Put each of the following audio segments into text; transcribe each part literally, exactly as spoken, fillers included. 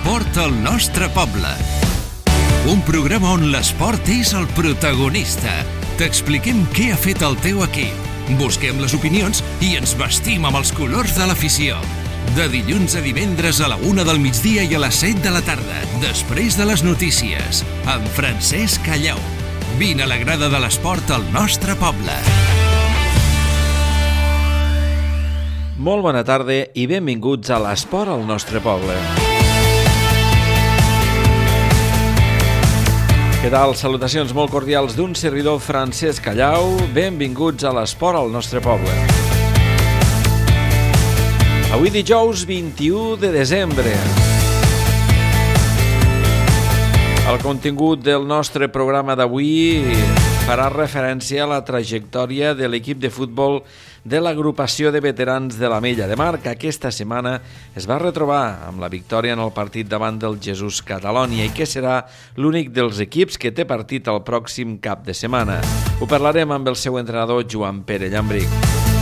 L'esport al nostre poble. Un programa on l'esport és el protagonista. T'expliquem què ha fet el teu equip. Busquem les opinions i ens vestim amb els colors de l'afició. De dilluns a divendres a la una del migdia i a les set de la tarda, després de les notícies, amb Francesc Callau. Vine a la grada de l'esport al nostre poble. Molt bona tarda i benvinguts a l'esport al nostre poble. Què tal? Salutacions molt cordials d'un servidor Francesc Callau. Benvinguts a l'esport al nostre poble. Avui dijous vint-i-u de desembre. El contingut del nostre programa d'avui farà referència a la trajectòria de l'equip de futbol de l'agrupació de veterans de l'Ametlla de Mar, que aquesta setmana es va retrobar amb la victòria en el partit davant del Jesús Catalonia i que serà l'únic dels equips que té partit el pròxim cap de setmana. Ho parlarem amb el seu entrenador Joan Pere Llambric.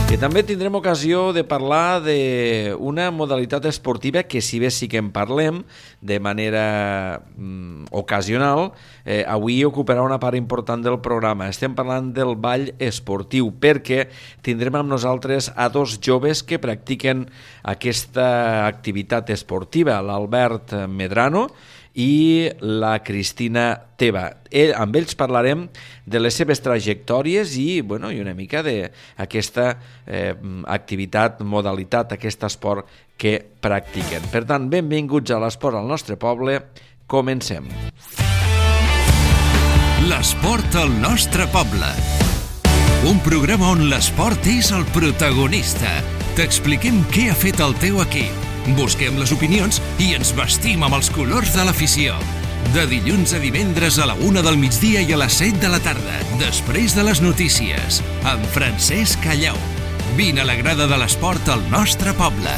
I també tindrem ocasió de parlar d'una modalitat esportiva que, si bé sí que en parlem de manera mm, ocasional, eh, avui ocuparà una part important del programa. Estem parlant del ball esportiu, perquè tindrem amb nosaltres a dos joves que practiquen aquesta activitat esportiva, l'Albert Medrano i la Cristina Teva. El, amb ells parlarem de les seves trajectòries i, bueno, i una mica d'aquesta eh, activitat, modalitat, aquest esport que practiquen. Per tant, benvinguts a l'esport al nostre poble. Comencem. L'esport al nostre poble. Un programa on l'esport és el protagonista. T'expliquem què ha fet el teu equip. Busquem les opinions i ens vestim amb els colors de l'afició. De dilluns a divendres a la una del migdia i a les set de la tarda, després de les notícies, amb Francesc Callau. Vine a la grada de l'esport al nostre poble.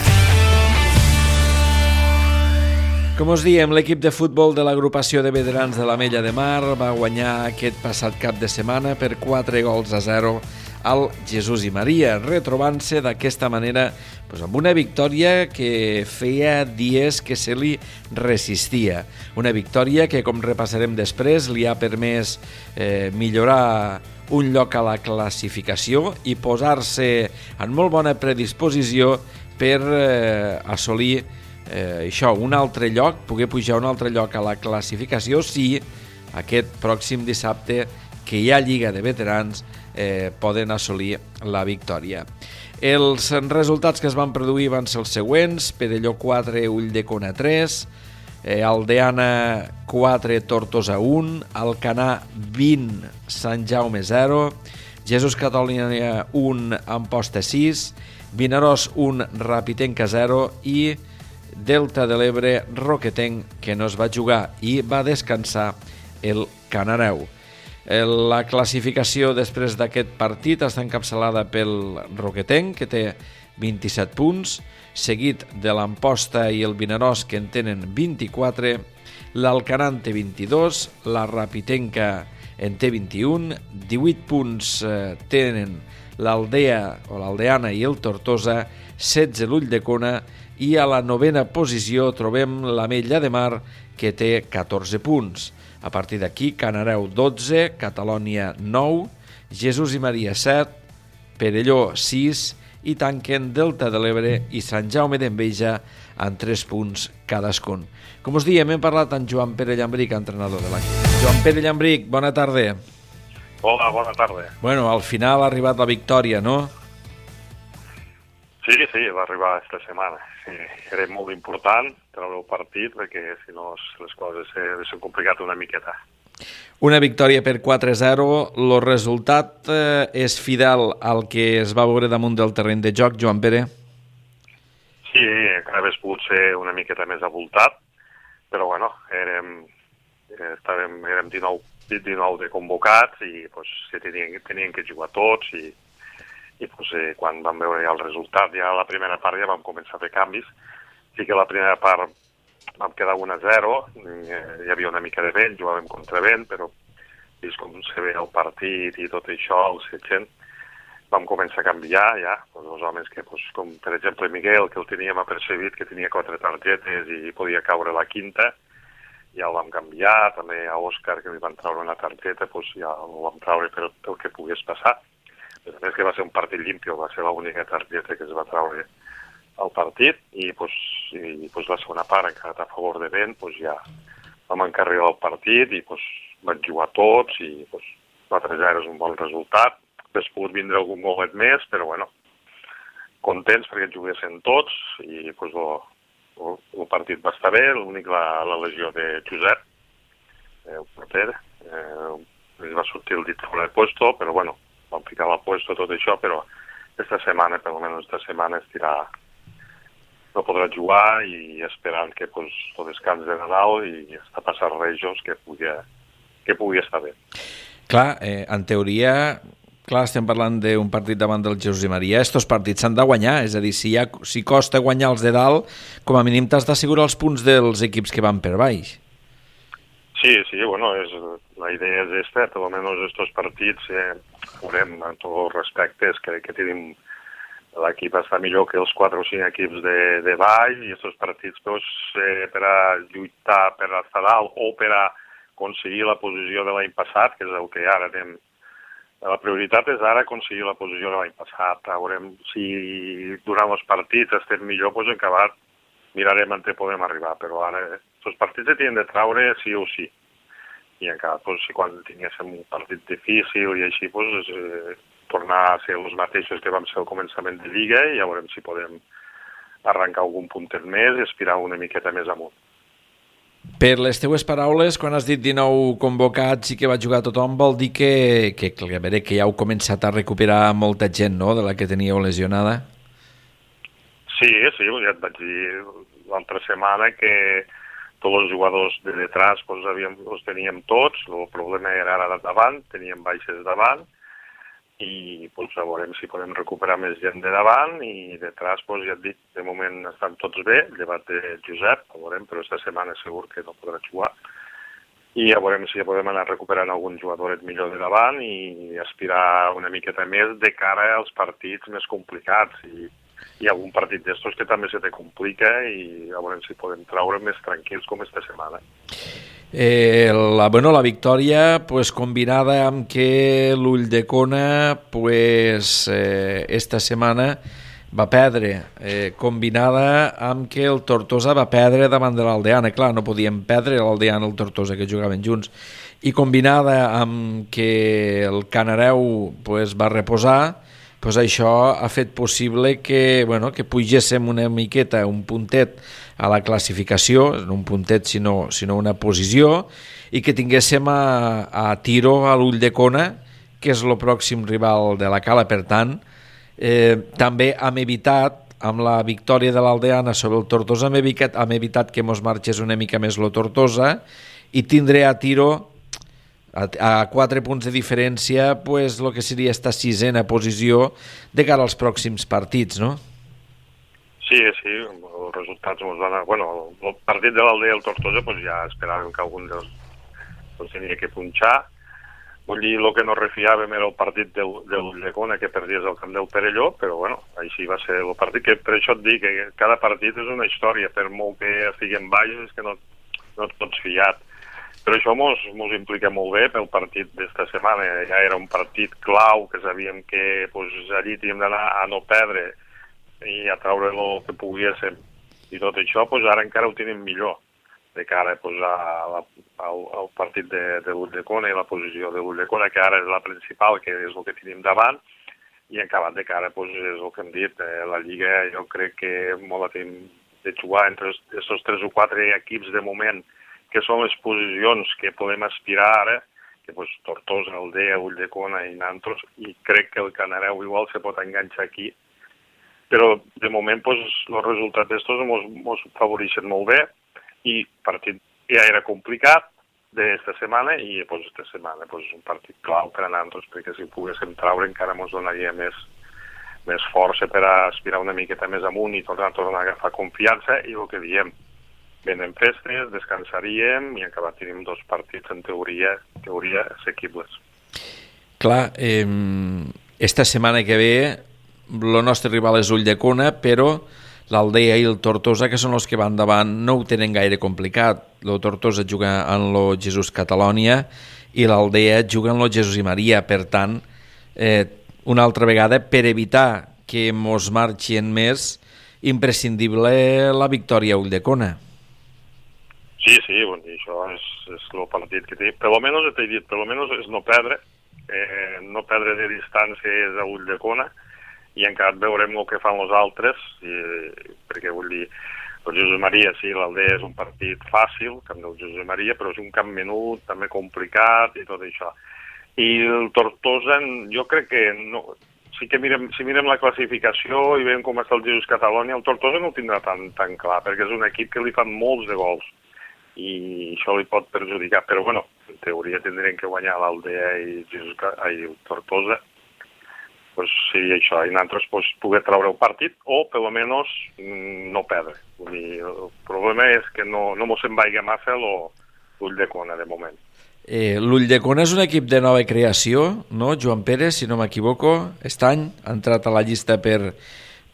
Com us diem, l'equip de futbol de l'agrupació de veterans de l'Ametlla de Mar va guanyar aquest passat cap de setmana per quatre gols a zero al Jesús i Maria, retrobant-se d'aquesta manera doncs, amb una victòria que feia dies que se li resistia. Una victòria que, com repassarem després, li ha permès eh, millorar un lloc a la classificació i posar-se en molt bona predisposició per eh, assolir eh, això, un altre lloc, poder pujar un altre lloc a la classificació si aquest pròxim dissabte, que hi ha Lliga de Veterans, eh, poden assolir la victòria. Els resultats que es van produir van ser els següents: Perelló quatre, Ulldecona tres, eh, Aldeana quatre, Tortosa un, Alcanar vint, Sant Jaume zero, Jesús Catalonia un, Amposta sis, Vinaròs un, Rapitenca zero i Delta de l'Ebre, Roquetenc, que no es va jugar i va descansar el Canareu. La classificació després d'aquest partit està encapçalada pel Roquetenc, que té vint-i-set punts, seguit de l'Amposta i el Vinaròs, que en tenen vint-i-quatre, l'Alcanar en té vint-i-dos, la Rapitenca en té vint-i-un, divuit punts eh, tenen l'Aldea o l'Aldeana i el Tortosa, setze l'Ulldecona, i a la novena posició trobem l'Ametlla de Mar, que té catorze punts. A partir d'aquí, Canareu dotze, Catalonia nou, Jesús i Maria set, Perelló sis i tanquen Delta de l'Ebre i Sant Jaume d'Enveja amb tres punts cadascun. Com us diem, hem parlat amb Joan Pere Llambric, entrenador de l'equip. Joan Pere Llambric, bona tarda. Hola, bona tarda. Bueno, al final ha arribat la victòria, no? Sí, sí, va arribar aquesta setmana. Sí, era molt important treure el partit perquè si no les coses s'han complicat una miqueta. Una victòria per quatre a zero. El resultat eh, és fidel al que es va veure damunt del terreny de joc, Joan Pere? Sí, encara hauria pogut ser una miqueta més avultat, però bueno, érem, estàvem, érem dinou, dinou de convocats i pues, tenien, tenien que jugar tots i i pues, eh, quan vam veure ja el resultat, ja a la primera part ja vam començar a fer canvis. Sí que la primera part vam quedar un a zero, eh, hi havia una mica de vent, jugàvem contra vent, però vist com se ve el partit i tot això, el setcent, vam començar a canviar ja, doncs, els homes que, doncs, com per exemple Miguel, que el teníem apercebit, que tenia quatre targetes i podia caure la quinta, ja el vam canviar, també a Òscar, que li van treure una targeta, doncs ja el vam treure per el que pogués passar. A més que va ser un partit limpio, va ser l'única targeta que es va treure al partit, i, doncs, i doncs, la segona part, encara a favor de vent, doncs ja vam encarregar el partit i doncs, van jugar tots i doncs, quatre a zero és un bon resultat. Hauria pogut vindre algun golet més, però bueno, contents perquè juguessin tots i doncs, el, el partit va estar bé, l'únic la, la lesió de Josep, eh, el porter, eh, li va sortir el dit fora de puesto, però bueno, vam ficar la puesto tot això, però aquesta setmana, per almenys aquesta setmana, estirà, no podrà jugar i esperant que pues, el descans de Nadal i està passant Rejos que pugui, que pugui estar bé. Clar, eh, en teoria, clar, estem parlant d'un partit davant del Jesús i Maria, estos partits s'han de guanyar, és a dir, si, ha, si costa guanyar els de dalt, com a mínim t'has d'assegurar els punts dels equips que van per baix. Sí, sí, bueno, és, la idea és esta, per almenys estos partits, eh, veurem, en tots els respectes, que, que tenim l'equip està millor que els quatre o cinc equips de, de baix, i estos partits pues, eh, per a lluitar per estar dalt o per a aconseguir la posició de l'any passat, que és el que ara anem. La prioritat és ara aconseguir la posició de l'any passat. Veurem si durant els partits estem millor, doncs en acabat mirarem on podem arribar, però ara els partits se tenen de traure sí o sí. I encara, doncs, si quan tinguéssim un partit difícil i així, doncs, eh, tornar a ser els mateixos que vam ser al començament de Lliga i ja veurem si podem arrencar algun puntet més i aspirar una miqueta més amunt. Per les teues paraules, quan has dit dinou convocats i que va jugar tothom, vol dir que, que, que, a veure, que ja heu començat a recuperar molta gent, no?, de la que teníeu lesionada? Sí, sí, ja et vaig dir l'altra setmana que tots els jugadors de detrás doncs, havíem, els teníem tots, el problema era ara davant, teníem baixes davant, i doncs, veurem si podem recuperar més gent de davant, i detrás, doncs, ja et dic, de moment estan tots bé, llevat de Josep, veurem, però aquesta setmana segur que no podrà jugar, i ja veurem si ja podem anar recuperant algun jugadoret millor de davant i aspirar una miqueta més de cara als partits més complicats, i hi ha algun partit d'estos que també se te complica i a veure si podem treure més tranquils com esta setmana. Eh, la, bueno, la victòria pues, combinada amb que l'Ulldecona pues, eh, esta setmana va perdre, eh, combinada amb que el Tortosa va perdre davant de l'Aldeana. Clar, no podíem perdre l'Aldeana i el Tortosa, que jugaven junts, i combinada amb que el Canareu pues, va reposar, pues això ha fet possible que, bueno, que pugéssim una miqueta, un puntet a la classificació, no un puntet sinó, sinó una posició, i que tinguéssim a, a tiro a l'Ulldecona, que és el pròxim rival de la Cala. Per tant, eh, també hem evitat, amb la victòria de l'Aldeana sobre el Tortosa, hem evitat, hem evitat que mos marxés una mica més el Tortosa i tindré a tiro a quatre punts de diferència pues, el que seria esta sisena posició de cara als pròxims partits, no? Sí, sí, els resultats ens van... Bueno, el partit de l'Aldea i el Tortosa pues, ja esperàvem que algun dels pues, tenia que punxar. Vull dir, el que no refiàvem era el partit de, de l'Ulldecona, que perdies al camp del Perelló, però bueno, així va ser el partit, que per això et dic que cada partit és una història, per molt que estiguem baixos és que no, no et pots fiat. Però això mos, mos implica molt bé pel partit d'esta setmana. Ja era un partit clau, que sabíem que pues, allí teníem d'anar a no perdre i a treure el que poguéssim. I tot això pues, ara encara ho tenim millor de cara pues, a la, al, al partit de, de l'Ulldecona i la posició de l'Ulldecona, que ara és la principal, que és el que tenim davant, i acabat de cara pues, és el que hem dit. Eh, la Lliga jo crec que molt la tenim de jugar entre aquests tres o quatre equips de moment, que són les posicions que podem aspirar ara, que pues, Tortosa, Aldea, Ulldecona i Nantos, i crec que el Canareu igual se pot enganxar aquí. Però de moment pues, els resultats d'estos mos, mos favoreixen molt bé, i el partit ja era complicat d'esta setmana, i pues, esta setmana pues, un partit clau per a Nantos, perquè si poguéssim traure encara mos donaria més, més força per a aspirar una miqueta més amunt i tornar, tornar a agafar confiança, i el que diem, venen festes, descansaríem i acabat tenim dos partits en teoria, teoria assequibles. Clar, eh, esta setmana que ve el nostre rival és Ulldecona, però l'Aldea i el Tortosa, que són els que van davant, no ho tenen gaire complicat. El Tortosa juga en lo Jesús Catalònia i l'Aldea juga en lo Jesús i Maria. Per tant, eh, una altra vegada, per evitar que mos marxin més, imprescindible la victòria a Ulldecona. Sí, sí, bon, això és, és el partit que té. Per almenys, t'he dit, per almenys és no perdre, eh, no perdre de distància a Ulldecona, i encara veurem el que fan els altres, i, perquè vull dir, el Jesús Maria, sí, l'Aldea és un partit fàcil, camp del Jesús Maria, però és un camp menut, també complicat i tot això. I el Tortosa, jo crec que no, sí que mirem, si mirem la classificació i veiem com està el Jesús Catalònia, el Tortosa no ho tindrà tan, tan clar, perquè és un equip que li fan molts de gols, i això li pot perjudicar, però bueno, en teoria tindrem que guanyar l'Aldea i, Jesús, i el Tortosa, pues seria això, i nosaltres pues, poder treure el partit o, per almenys, no perdre. Vull dir, el problema és que no, no mos en vaiga massa l'Ulldecona, de moment. Eh, L'Ulldecona és un equip de nova creació, no, Joan Pere, si no m'equivoco? Aquest any ha entrat a la llista per,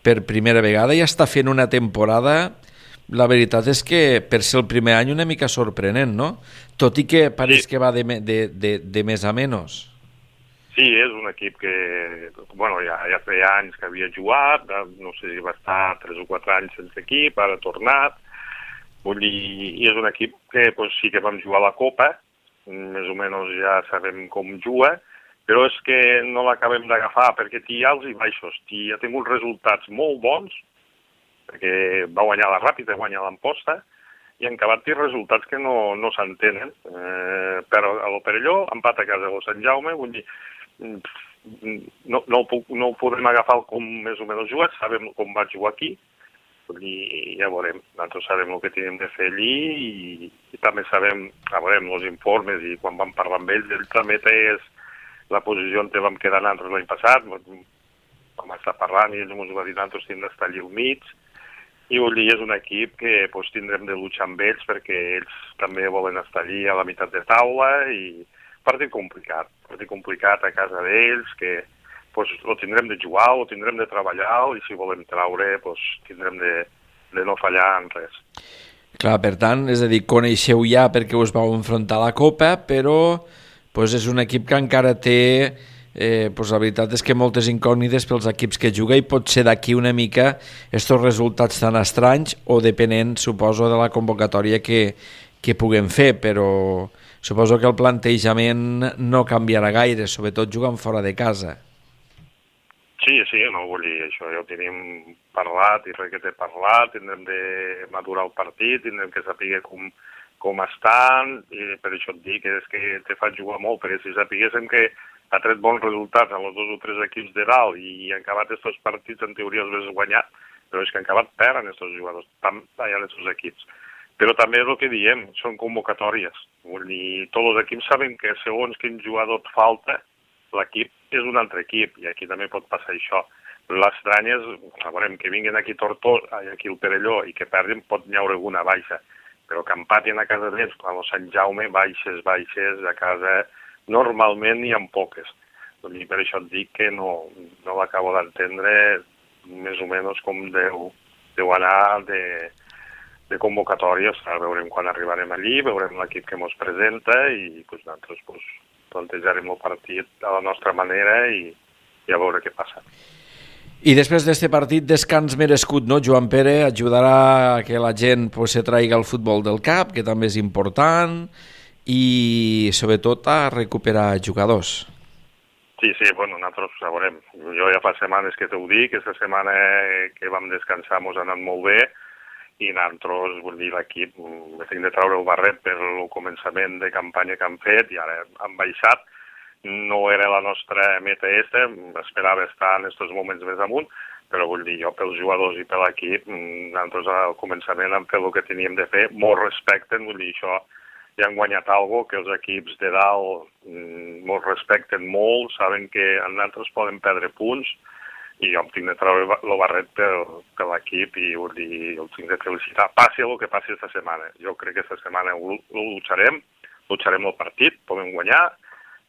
per primera vegada i està fent una temporada, la veritat és que per ser el primer any una mica sorprenent, no? Tot i que pareix sí. que va de, de, de, de més a menys. Sí, és un equip que, bueno, ja, ja feia anys que havia jugat, no sé si va estar tres o quatre anys sense equip, ara ha tornat, vull dir, i és un equip que pues, sí que vam jugar a la Copa, més o menys ja sabem com juga, però és que no l'acabem d'agafar, perquè té alts i baixos, té, ha tingut resultats molt bons, perquè va guanyar la Ràpida, va guanyar l'Amposta, i en acabat té resultats que no, no s'entenen, eh, però a l'Operelló, empat a casa de Sant Jaume, vull dir, no, no, ho puc, no ho podem agafar com més o menys jugat, sabem com va jugar aquí, i ja veurem, nosaltres sabem el que tenim de fer allí i, i també sabem, ja veurem, els informes i quan vam parlar amb ells, ell també té la posició on vam quedar nosaltres l'any passat, vam estar parlant i ells ens va dir nosaltres hem d'estar allí al mig, i vull dir, és un equip que pues, tindrem de luchar amb ells perquè ells també volen estar allí a la meitat de taula i partit complicat, partit complicat a casa d'ells, que pues, ho tindrem de jugar, ho tindrem de treballar i si volem traure, pues, tindrem de, de no fallar en res. Clar, per tant, és a dir, coneixeu ja perquè us vau enfrontar a la Copa, però pues, és un equip que encara té, eh, pues, la veritat és que moltes incògnites pels equips que juga i pot ser d'aquí una mica estos resultats tan estranys o depenent, suposo, de la convocatòria que, que puguem fer, però suposo que el plantejament no canviarà gaire, sobretot jugant fora de casa. Sí, sí, no vull dir, això ja ho tenim parlat i res que t'he parlat, tindrem de madurar el partit, tindrem que saber com, com estan, i per això et dic que és que te fa jugar molt, perquè si sapiguéssim que ha tret bons resultats en els dos o tres equips de dalt i han acabat aquests partits, en teoria els hagués guanyat, però és que han acabat perdent aquests jugadors, allà en aquests equips. Però també és el que diem, són convocatòries. Vull dir, tots els equips saben que segons quin jugador et falta, l'equip és un altre equip, i aquí també pot passar això. L'estrany és, veurem, que vinguin aquí Tortosa, aquí el Perelló, i que perdin, pot n'hi haure alguna baixa. Però que empatin a casa d'ells, quan el Sant Jaume, baixes, baixes, a casa, normalment n'hi ha poques. Vull dir, per això et dic que no, no l'acabo d'entendre més o menys com deu, deu anar de... de convocatòries, ara veurem quan arribarem allí, veurem l'equip que ens presenta i pues, nosaltres pues, plantejarem el partit a la nostra manera i, i a veure què passa. I després d'aquest partit, descans merescut, no, Joan Pere? Ajudarà a que la gent pues, se traiga el futbol del cap, que també és important, i sobretot a recuperar jugadors. Sí, sí, bueno, nosaltres ja veurem. Jo ja fa setmanes que t'ho dic, aquesta setmana que vam descansar ens ha anat molt bé, i nosaltres, vull dir, l'equip, hem de treure el barret per el començament de campanya que han fet i ara han baixat. No era la nostra meta aquesta, esperava estar en aquests moments més amunt, però vull dir, jo pels jugadors i per l'equip, nosaltres al començament hem fet el que teníem de fer, molt respecten, vull dir, això ja han guanyat alguna cosa, que els equips de dalt molt respecten molt, saben que nosaltres poden perdre punts, i jo em tinc de treure el barret per, per l'equip i vull dir, el tinc de felicitar. Passi el que passi aquesta setmana. Jo crec que aquesta setmana ho, ho lucharem, lucharem el partit, podem guanyar,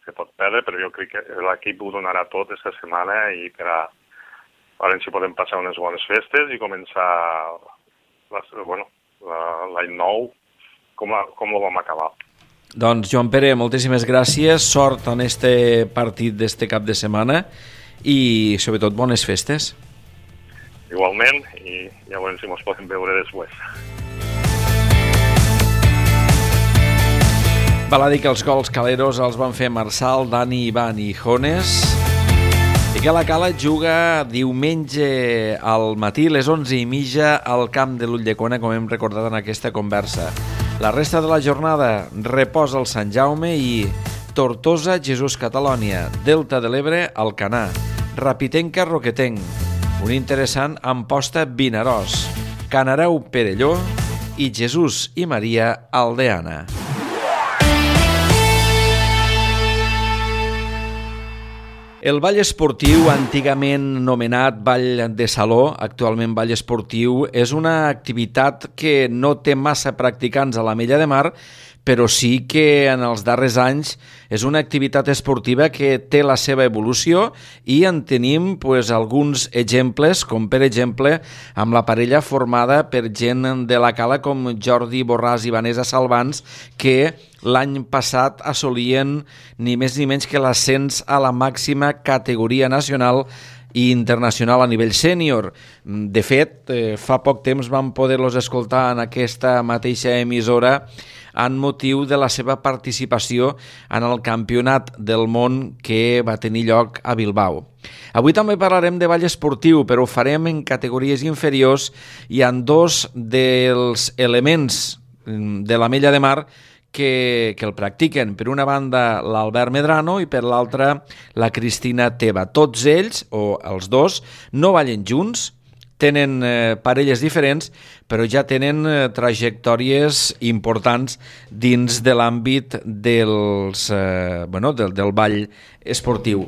se pot perdre, però jo crec que l'equip ho donarà tot aquesta setmana i per a, a veure si podem passar unes bones festes i començar l'any bueno, nou com, a, com ho vam acabar. Doncs, Joan Pere, moltíssimes gràcies, sort en este partit d'este cap de setmana i, sobretot, bones festes. Igualment, i ja veurem si ens podem veure després. Val a dir que els gols caleros els van fer Marçal, Dani, Ivan i Jones. I que la Cala juga diumenge al matí, les onze i mitja, al camp de l'Ulldecona, com hem recordat en aquesta conversa. La resta de la jornada reposa el Sant Jaume i Tortosa, Jesús Catalònia, Delta de l'Ebre, Alcanar, Rapitenca, Roquetenc, un interessant Amposta, Vinaròs, Canareu, Perelló i Jesús i Maria, Aldeana. El ball esportiu, antigament nomenat ball de saló, actualment ball esportiu, és una activitat que no té massa practicants a l'Ametlla de Mar, però sí que en els darrers anys és una activitat esportiva que té la seva evolució i en tenim pues, alguns exemples, com per exemple amb la parella formada per gent de la Cala com Jordi Borràs i Vanessa Salvans, que l'any passat assolien ni més ni menys que l'ascens a la màxima categoria nacional i internacional a nivell sènior. De fet, eh, fa poc temps vam poder-los escoltar en aquesta mateixa emissora en motiu de la seva participació en el Campionat del Món que va tenir lloc a Bilbao. Avui també parlarem de ball esportiu, però ho farem en categories inferiors i en dos dels elements de l'Ametlla de Mar que, que el practiquen. Per una banda, l'Albert Medrano i per l'altra, la Cristina Teba. Tots ells, o els dos, no ballen junts, tenen eh, parelles diferents, però ja tenen eh, trajectòries importants dins de l'àmbit dels, eh, bueno, del, del ball esportiu.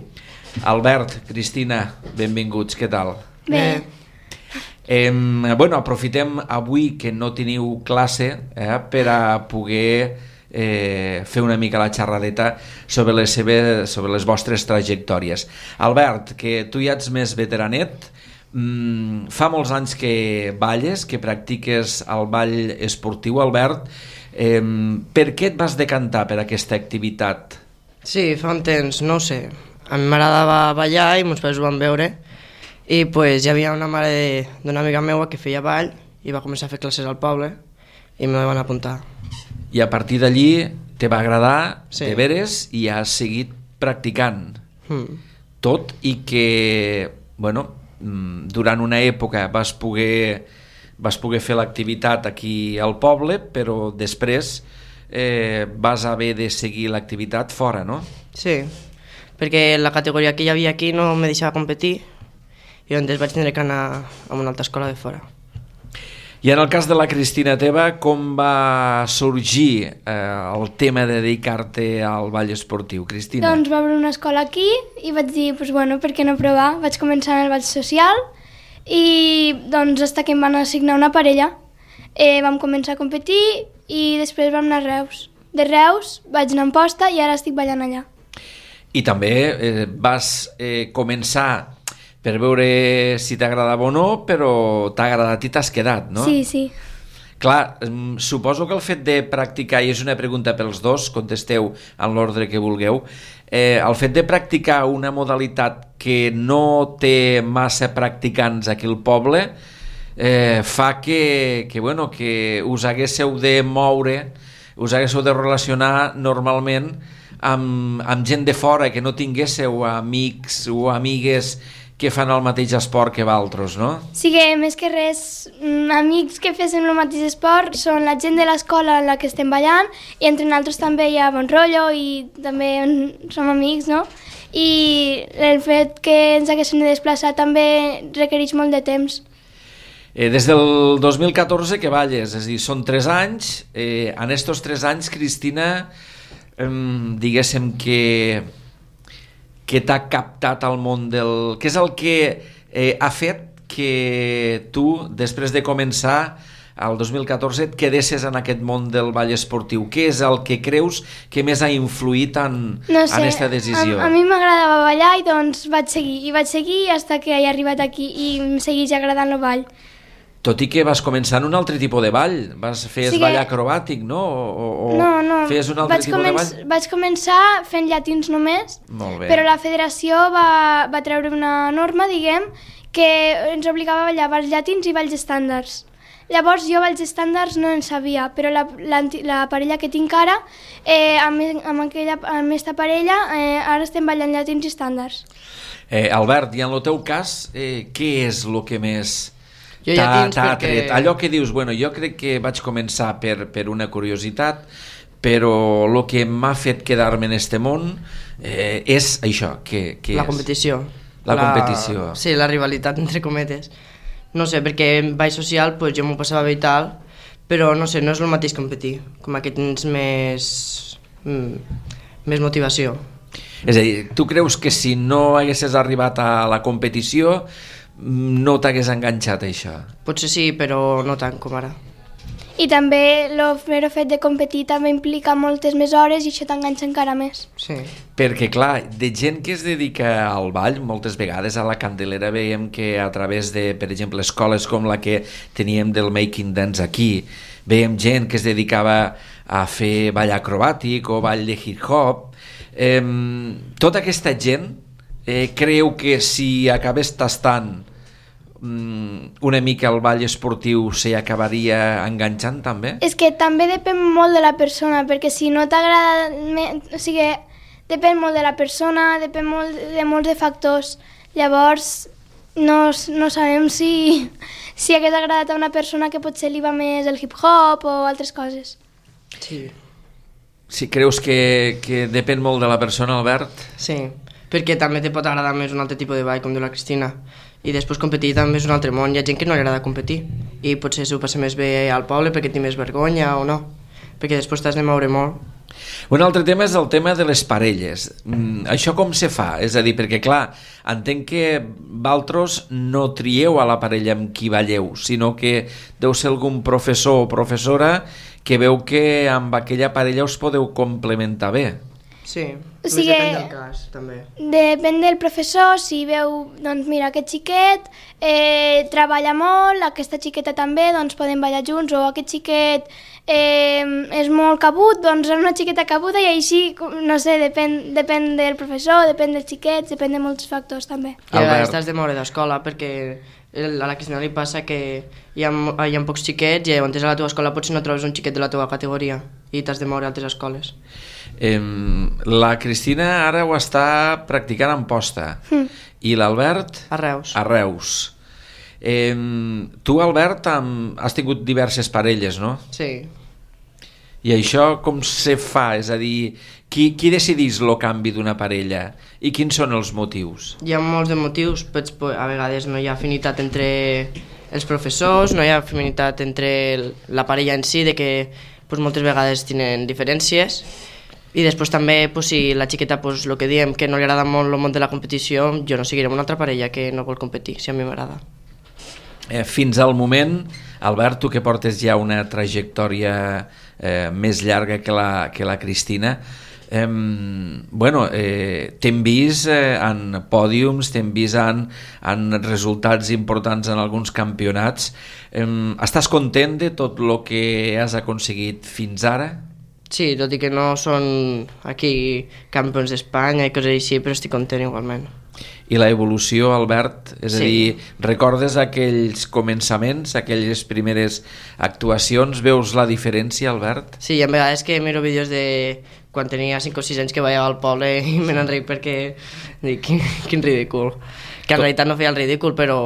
Albert, Cristina, benvinguts, què tal? Bé. Eh, bueno, aprofitem avui que no teniu classe eh, per a poder eh, fer una mica la xerradeta sobre les, seves, sobre les vostres trajectòries. Albert, que tu ja ets més veteranet, Mm, fa molts anys que balles, que practiques el ball esportiu, Albert. Eh, per què et vas decantar per aquesta activitat? Sí, fa un temps, no ho sé. A mi m'agradava ballar i meus pares ho van veure i pues, hi havia una mare d'una amiga meua que feia ball i va començar a fer classes al poble i me van apuntar. I a partir d'allí te va agradar, sí. De veres, i has seguit practicant. Mm. Tot i que, bueno, durant una època vas poder, vas poder fer l'activitat aquí al poble, però després eh, vas haver de seguir l'activitat fora, no? Sí, perquè la categoria que hi havia aquí no me deixava competir i llavors vaig tindre que anar a una altra escola de fora. I en el cas de la Cristina Teba, com va sorgir eh, el tema de dedicar-te al ball esportiu, Cristina? Doncs va obrir una escola aquí i vaig dir, pues, bueno, per què no provar? Vaig començar en el ball social i doncs fins que em van assignar una parella. Eh, vam començar a competir i després vam anar a Reus. De Reus vaig anar a Amposta i ara estic ballant allà. I també eh, vas eh, començar per veure si t'agradava o no, però t'ha agradat i t'has quedat, no? Sí, sí. Clar, suposo que el fet de practicar, i és una pregunta pels dos, contesteu en l'ordre que vulgueu, eh, el fet de practicar una modalitat que no té massa practicants aquí al poble eh, fa que, que, bueno, que us haguéssiu de moure, us haguéssiu de relacionar normalment amb, amb gent de fora, que no tinguéssiu amics o amigues que fan el mateix esport que vosaltres, no? Sí que, més que res, amics que fessin el mateix esport són la gent de l'escola en la que estem ballant i entre nosaltres també hi ha bon rotllo i també som amics, no? I el fet que ens haguéssim de desplaçar també requereix molt de temps. Eh, des del dos mil catorze que balles, és a dir, són tres anys. Eh, en estos tres anys, Cristina, eh, diguéssim que... que t'ha captat al món del... Què és el que eh, ha fet que tu, després de començar al dos mil catorze et quedessis en aquest món del ball esportiu? Què és el que creus que més ha influït en, no sé, en aquesta decisió? A, a mi m'agradava ballar i doncs vaig seguir, i vaig seguir fins que he arribat aquí i em segueix agradant el ball. Tot i que vas començar en un altre tipus de ball, vas fer sí que... ball acrobàtic, no? O, o no, no, feies un altre vaig tipus començ... de ball? Vaig començar fent llatins només, Molt bé. Però la federació va, va treure una norma, diguem, que ens obligava a ballar balls llatins i balls estàndards. Llavors jo balls estàndards no en sabia, però la, la, la parella que tinc ara, eh, amb, amb, aquella, amb aquesta parella, eh, ara estem ballant llatins i estàndards. Eh, Albert, i en el teu cas, eh, què és el que més t'ha perquè... atret? Allò que dius, bueno, jo crec que vaig començar per, per una curiositat, però el que m'ha fet quedar-me en este món eh, és això, que, que la és? competició. La, la competició. Sí, la rivalitat, entre cometes. No sé, perquè en ball social pues, jo m'ho passava bé i tal, però no sé, no és el mateix competir, com que tens més, mm, més motivació. És a dir, tu creus que si no haguessis arribat a la competició no t'hagués enganxat això? Potser sí, però no tant com ara. I també el mero fet de competir també implica moltes més hores i això t'enganxa encara més. Sí. Perquè, clar, de gent que es dedica al ball, moltes vegades a la Candelera veiem que a través de, per exemple, escoles com la que teníem del Making Dance aquí, veiem gent que es dedicava a fer ball acrobàtic o ball de hip-hop. Eh, tota aquesta gent eh, creu que si acabés tastant una mica el ball esportiu s'hi acabaria enganxant també? És que també depèn molt de la persona, perquè si no t'agrada, o sigui, depèn molt de la persona, depèn molt de molts de factors. Llavors no, no sabem si, si hagués agradat a una persona que potser li va més el hip-hop o altres coses. Sí. Si creus que, que depèn molt de la persona, Albert? Sí, perquè també te pot agradar més un altre tipus de ball, com diu la Cristina. I després competir també és un altre món. Hi ha gent que no li agrada competir i potser s'ho passa més bé al poble perquè té més vergonya o no, perquè després t'has de moure molt. Un altre tema és el tema de les parelles. Mm, això com se fa? És a dir, perquè clar, entenc que vosaltres no trieu a la parella amb qui balleu, sinó que deu ser algun professor o professora que veu que amb aquella parella us podeu complementar bé. Sí, o sigui, depèn del cas, també. Depèn del professor, si veu, doncs mira, aquest xiquet eh, treballa molt, aquesta xiqueta també, doncs poden ballar junts, o aquest xiquet eh, és molt cabut, doncs és una xiqueta cabuda i així, no sé, depèn, depèn del professor, depèn dels xiquets, depèn de molts factors també. I a vegades t'has de moure d'escola perquè a la Cristina li passa que hi ha, hi ha pocs xiquets i llavors a la teva escola potser no trobes un xiquet de la teva categoria i t'has de moure a altres escoles. Eh, la Cristina ara ho està practicant en posta mm. i l'Albert a Reus. A Reus. Eh, tu, Albert, amb, has tingut diverses parelles, no? Sí. I això com se fa? És a dir, qui, qui decidís el canvi d'una parella i quins són els motius? Hi ha molts de motius, a vegades no hi ha afinitat entre els professors, no hi ha afinitat entre la parella en si, de que pues, moltes vegades tenen diferències. I després també, pues, si la xiqueta, pues, el que diem, que no li agrada molt el món de la competició, jo no seguiré amb una altra parella que no vol competir, si a mi m'agrada. Eh, fins al moment, Albert, tu que portes ja una trajectòria eh, més llarga que la, que la Cristina, eh, bueno, eh, t'hem vist eh, en pòdiums, t'hem vist en, en resultats importants en alguns campionats. Eh, estàs content de tot el que has aconseguit fins ara? Sí, tot i que no són aquí campions d'Espanya i coses així, però estic content igualment. I la evolució, Albert? És sí. a dir, recordes aquells començaments, aquelles primeres actuacions? Veus la diferència, Albert? Sí, hi ha vegades que miro vídeos de quan tenia cinc o sis anys que ballava al poble i me n'enric perquè dic, quin, quin ridícul. Que en Tot... realitat no feia el ridícul, però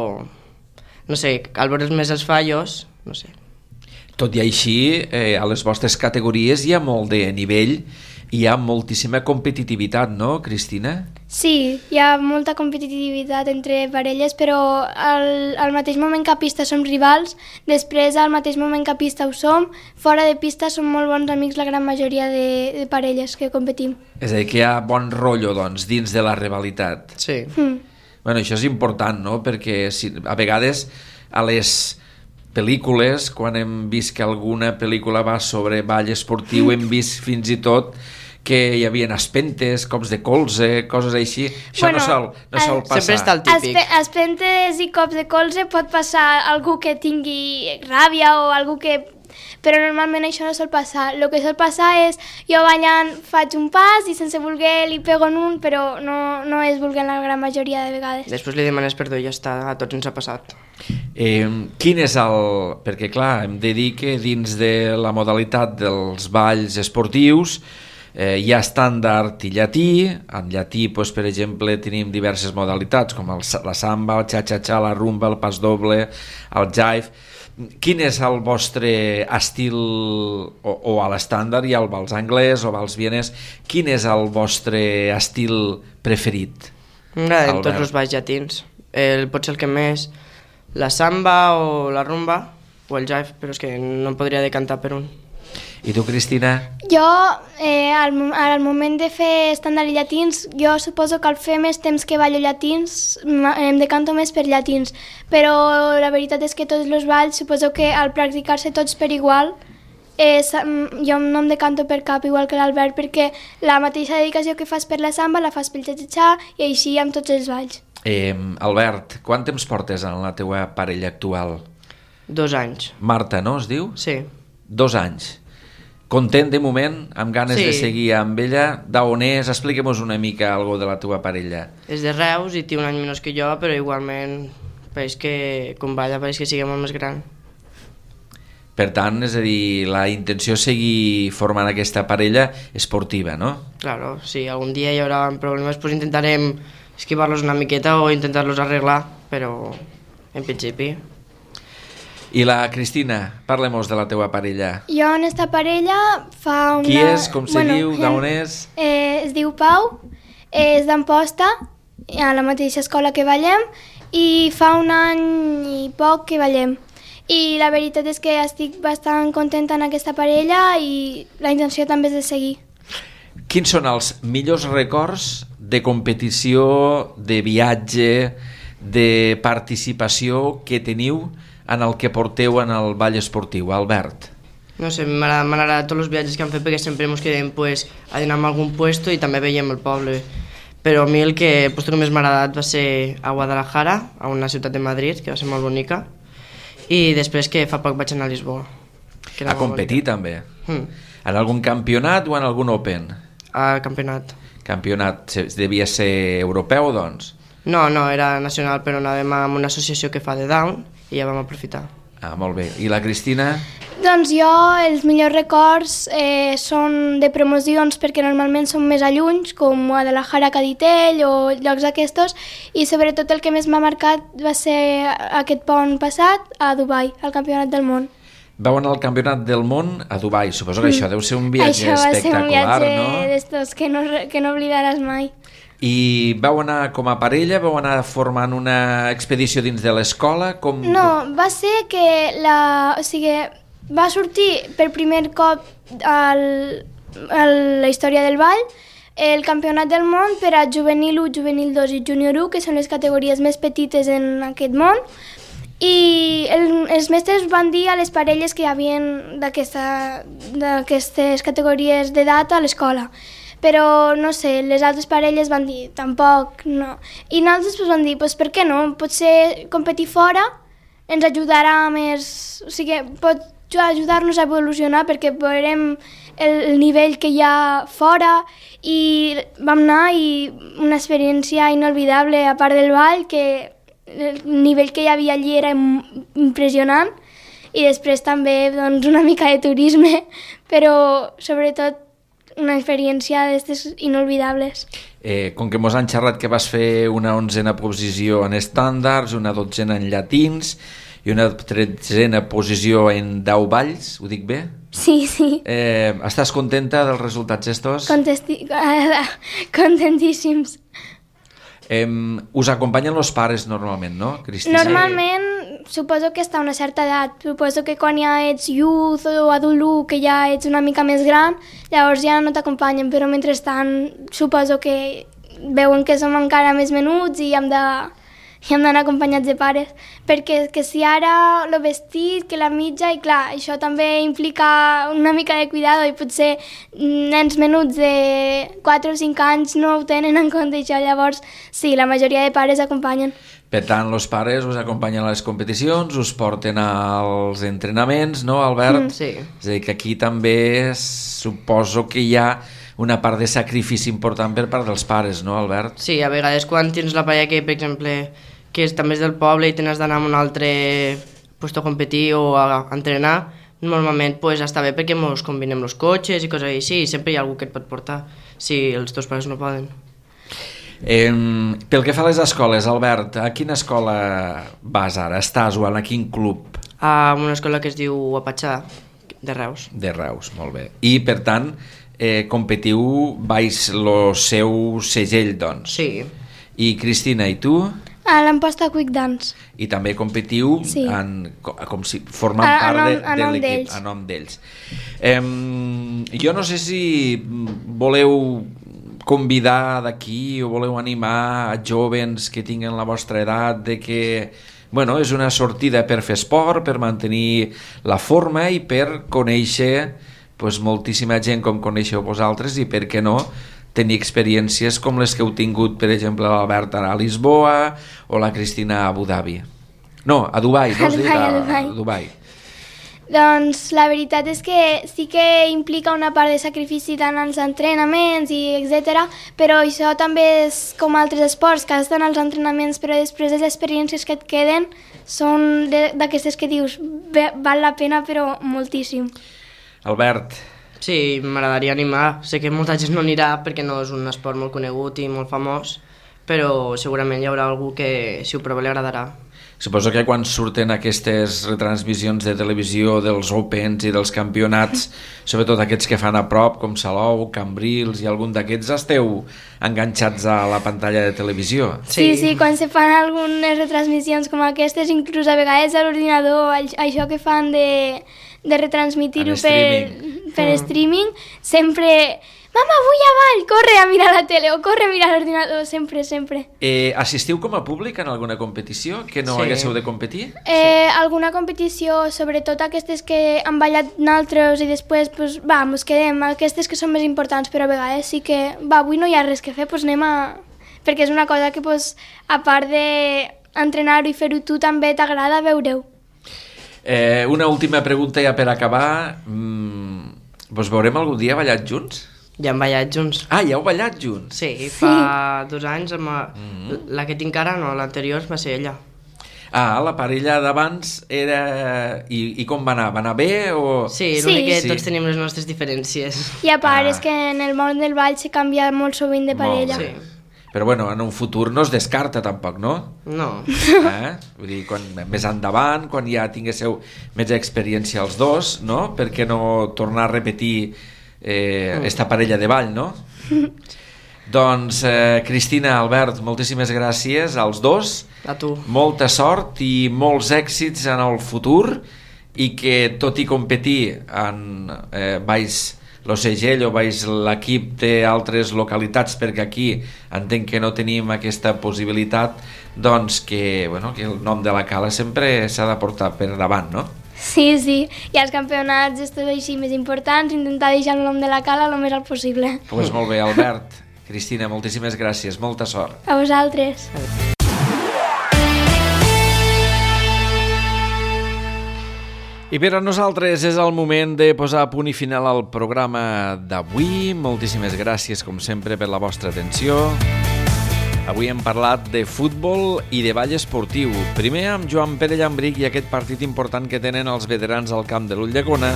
no sé, al veure més els fallos, no sé. Tot i així, eh, a les vostres categories hi ha molt de nivell, hi ha moltíssima competitivitat, no, Cristina? Sí, hi ha molta competitivitat entre parelles, però al, al mateix moment que a pista som rivals, després al mateix moment que a pista ho som, fora de pista som molt bons amics la gran majoria de, de parelles que competim. És a dir, que hi ha bon rotllo, doncs, dins de la rivalitat. Sí. Mm. Bueno, això és important, no?, perquè si, a vegades a les pel·lícules, quan hem vist que alguna pel·lícula va sobre ball esportiu, hem vist fins i tot que hi havia espentes, cops de colze, coses així. Això Bueno, no sol, no sol el- passar. Sempre està el típic. Espe espentes i cops de colze pot passar algú que tingui ràbia o algú que... Però normalment això no sol passar. El que sol passar és jo ballant faig un pas i sense voler li pego en un, però no, no és volent la gran majoria de vegades. Després li demanes perdó i ja està, a tots ens ha passat. Eh, quin és el... Perquè, clar, hem de dir que dins de la modalitat dels balls esportius eh, hi ha estàndard i llatí. En llatí, doncs, per exemple, tenim diverses modalitats, com el, la samba, el xa-xa-xa, la rumba, el pas doble, el jive. Quin és el vostre estil, o, o a l'estàndard, hi ha el vals anglès o vals vienès, quin és el vostre estil preferit? M'agraden Albert. tots els balls llatins. El, pot ser el que més... La samba o la rumba o el jive, però és que no em podria decantar per un. I tu, Cristina? Jo, eh, al, mo- al moment de fer estàndard i llatins, jo suposo que al fer més temps que ballo llatins, m- em decanto més per llatins. Però la veritat és que tots els balls, suposo que al practicar-se tots per igual, eh, sa- m- jo no em decanto per cap igual que l'Albert, perquè la mateixa dedicació que fas per la samba la fas pel xa-xa-xa i així amb tots els balls. Eh, Albert, quant temps portes en la teua parella actual? Dos anys. Marta, no es diu? Sí. Dos anys. Content de moment, amb ganes Sí. de seguir amb ella. D'on és? Expliquem-nos una mica algo de la teva parella. És de Reus i té un any menys que jo, però igualment pareix que, com balla, pareix que sigui molt més gran. Per tant, és a dir, la intenció és seguir formant aquesta parella esportiva, no? Claro, si algun dia hi haurà problemes, pues intentarem esquivar-los una miqueta o intentar-los arreglar, però en principi... I la Cristina, parlem-nos de la teua parella. Jo en esta parella fa una... Qui és? Com se diu? D'on és? Eh, es diu Pau, eh, és d'Amposta, a la mateixa escola que ballem, i fa un any i poc que ballem. I la veritat és que estic bastant contenta en aquesta parella i la intenció també és de seguir. Quins són els millors records de competició, de viatge, de participació que teniu en el que porteu en el ball esportiu, Albert? No sé, m'agrada m'agrada tots els viatges que han fet perquè sempre ens quedem pues, a dinar en algun puesto i també veiem el poble. Però a mi el que el puesto que més m'ha agradat va ser a Guadalajara, a una ciutat de Madrid, que va ser molt bonica, i després que fa poc vaig anar a Lisboa. Que era A molt competir bonica. també? Mm. En algun campionat o en algun Open? A campionat. Campionat, se- devia ser europeu, doncs? No, no, era nacional, però anàvem amb una associació que fa de Down i ja vam aprofitar. Ah, molt bé. I la Cristina? Doncs jo els millors records eh, són de promocions perquè normalment són més a llunys, com Guadalajara, Caditell o llocs d'aquestos, i sobretot el que més m'ha marcat va ser aquest pont passat a Dubai, al Campionat del Món. Vau anar al Campionat del Món a Dubai. Suposo que això deu ser un viatge Això va ser un espectacular, viatge no? d'estos que no, que no oblidaràs mai. I vau anar com a parella? Vau anar formant una expedició dins de l'escola? Com... No, va ser que la... O sigui, va sortir per primer cop al, a la història del ball el Campionat del Món per a juvenil u, juvenil dos i júnior u, que són les categories més petites en aquest món, i el, els mestres van dir a les parelles que hi havia d'aquesta- d'aquestes categories d'edat a l'escola. Però, no sé, les altres parelles van dir, tampoc, no. I nosaltres pues, vam dir, pues, per què no? Potser competir fora ens ajudarà més... O sigui, pot ajudar-nos a evolucionar perquè veurem el, el nivell que hi ha fora i vam anar i una experiència inolvidable a part del ball, que el nivell que hi havia allí era im- impressionant, i després també doncs, una mica de turisme, però sobretot una experiència d'aquestes inolvidables. Eh, com que mos han xerrat que vas fer una onzena posició en estàndards, una dotzena en llatins i una tretzena posició en deu balls, ho dic bé? Sí, sí. Eh, estàs contenta dels resultats estos? Contesti... Contentíssims. Eh, us acompanyen els pares normalment, no, Cristina? Normalment, suposo que està a una certa edat. Suposo que quan ja ets youth o adult u, que ja ets una mica més gran, llavors ja no t'acompanyen, però mentrestant suposo que veuen que som encara més menuts i hem de i hem d'anar acompanyats de pares, perquè que si ara el vestit, que la mitja, i clar, això també implica una mica de cuidado i potser nens menuts de quatre o cinc anys no ho tenen en compte això, llavors sí, la majoria de pares acompanyen. Per tant, els pares us acompanyen a les competicions, us porten als entrenaments, no, Albert? Mm. Sí. És a dir, que aquí també suposo que hi ha una part de sacrifici important per part dels pares, no, Albert? Sí, a vegades quan tens la parella que, per exemple, que és, també és del poble i tens d'anar a un altre lloc a competir o a entrenar, normalment pues, està bé perquè ens combinem els cotxes i coses així, i sempre hi ha algú que et pot portar, si els teus pares no poden. Eh, pel que fa a les escoles, Albert, a quina escola vas ara? Estàs o a quin club? A una escola que es diu Apatxà, de Reus. De Reus, molt bé. I, per tant, eh, competiu baix el seu segell, doncs? Sí. I, Cristina, i tu? A l'Amposta Quick Dance. I també competiu sí. en, com si formant a, part a nom, de, de l'equip, a nom d'ells. Eh, jo no sé si voleu convidar d'aquí o voleu animar a jovens que tinguen la vostra edat de que, bueno, és una sortida per fer esport, per mantenir la forma i per conèixer pues, moltíssima gent com coneixeu vosaltres i, per què no, tenir experiències com les que heu tingut, per exemple, l'Albert a Lisboa o la Cristina a Abu Dhabi. No, a Dubai, no has dit? A, a Dubai. Doncs la veritat és que sí que implica una part de sacrifici tant als entrenaments i etcètera, però això també és com altres esports, que estan als entrenaments, però després les experiències que et queden són d'aquestes que dius val la pena, però moltíssim. Albert. Sí, m'agradaria animar. Sé que molta gent no anirà perquè no és un esport molt conegut i molt famós, però segurament hi haurà algú que, si ho prova, li agradarà. Suposo que quan surten aquestes retransmissions de televisió dels Opens i dels campionats, sobretot aquests que fan a prop, com Salou, Cambrils i algun d'aquests, esteu enganxats a la pantalla de televisió? Sí, sí, sí, quan se fan algunes retransmissions com aquestes, inclús a vegades a l'ordinador, això que fan de, de retransmitir-ho per, per mm. streaming, sempre... Mama, vull avall, corre a mirar la tele o corre a mirar l'ordinador, sempre, sempre. Eh, assistiu com a públic en alguna competició que no sí. haguéssiu de competir? Eh, sí. Alguna competició, sobretot aquestes que han ballat naltros i després, pues, va, mos quedem, aquestes que són més importants, però a vegades sí que, va, avui no hi ha res que fer, pues anem a... Perquè és una cosa que, pues, a part d'entrenar-ho i fer-ho tu, també t'agrada veure-ho. Eh, una última pregunta ja per acabar. Mm, vos veurem algun dia ballat junts? Ja hem ballat junts. Ah, ja heu ballat junts? Sí, fa dos anys, amb la, mm-hmm. la que tinc ara, no, l'anterior va ser ella. Ah, la parella d'abans era... I, I com va anar? Va anar bé o...? Sí, l'únic sí. que sí. tots tenim les nostres diferències. I a part ah. és que en el món del ball se canvia molt sovint de parella. Sí. Però bueno, en un futur no es descarta tampoc, no? No. Eh? Vull dir, quan, més endavant, quan ja tinguéssiu més experiència els dos, no? Per què no tornar a repetir... Eh, mm. esta parella de ball, no? Doncs eh, Cristina, Albert, moltíssimes gràcies als dos. A tu. Molta sort i molts èxits en el futur i que tot i competir en eh, baix lo segell o baix l'equip d'altres localitats, perquè aquí entenc que no tenim aquesta possibilitat, doncs que, bueno, que el nom de la cala sempre s'ha de portar per davant, no? Sí, sí, i als campionats estos així més importants, intentar deixar el nom de la cala el més alt possible. Doncs pues molt bé, Albert, Cristina, moltíssimes gràcies, molta sort. A vosaltres. I per a nosaltres és el moment de posar punt i final al programa d'avui. Moltíssimes gràcies, com sempre, per la vostra atenció. Avui hem parlat de futbol i de ball esportiu. Primer amb Joan Pere Llambric i aquest partit important que tenen els veterans al camp de l'Ulldecona.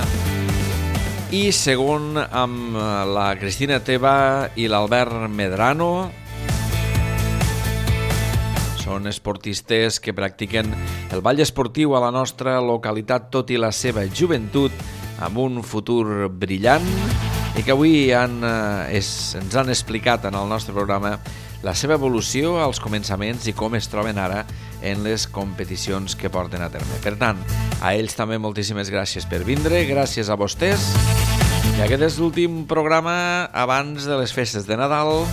I segon amb la Cristina Teba i l'Albert Medrano. Són esportistes que practiquen el ball esportiu a la nostra localitat, tot i la seva joventut, amb un futur brillant, i que avui han, eh, és, ens han explicat en el nostre programa la seva evolució als començaments i com es troben ara en les competicions que porten a terme. Per tant, a ells també moltíssimes gràcies per vindre, gràcies a vostès. I aquest és l'últim programa abans de les festes de Nadal.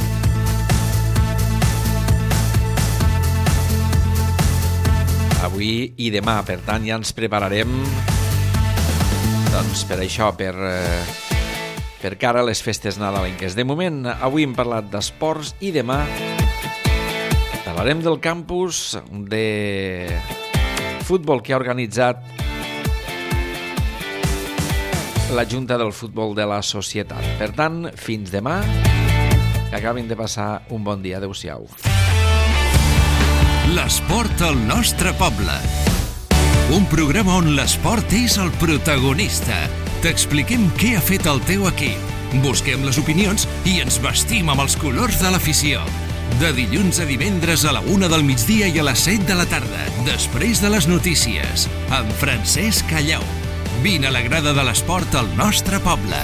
avui i demà. Per tant, ja ens prepararem doncs, per això, per, per cara a les festes nadalenques. De moment, avui hem parlat d'esports i demà parlarem del campus de futbol que ha organitzat la Junta del Futbol de la Societat. Per tant, fins demà, que acabin de passar un bon dia. Adéu-siau. L'esport al nostre poble. Un programa on l'esport és el protagonista. T'expliquem què ha fet el teu equip. Busquem les opinions i ens vestim amb els colors de l'afició. De dilluns a divendres a la una del migdia i a les set de la tarda, després de les notícies, amb Francesc Callau. Vine a la grada de l'esport al nostre poble.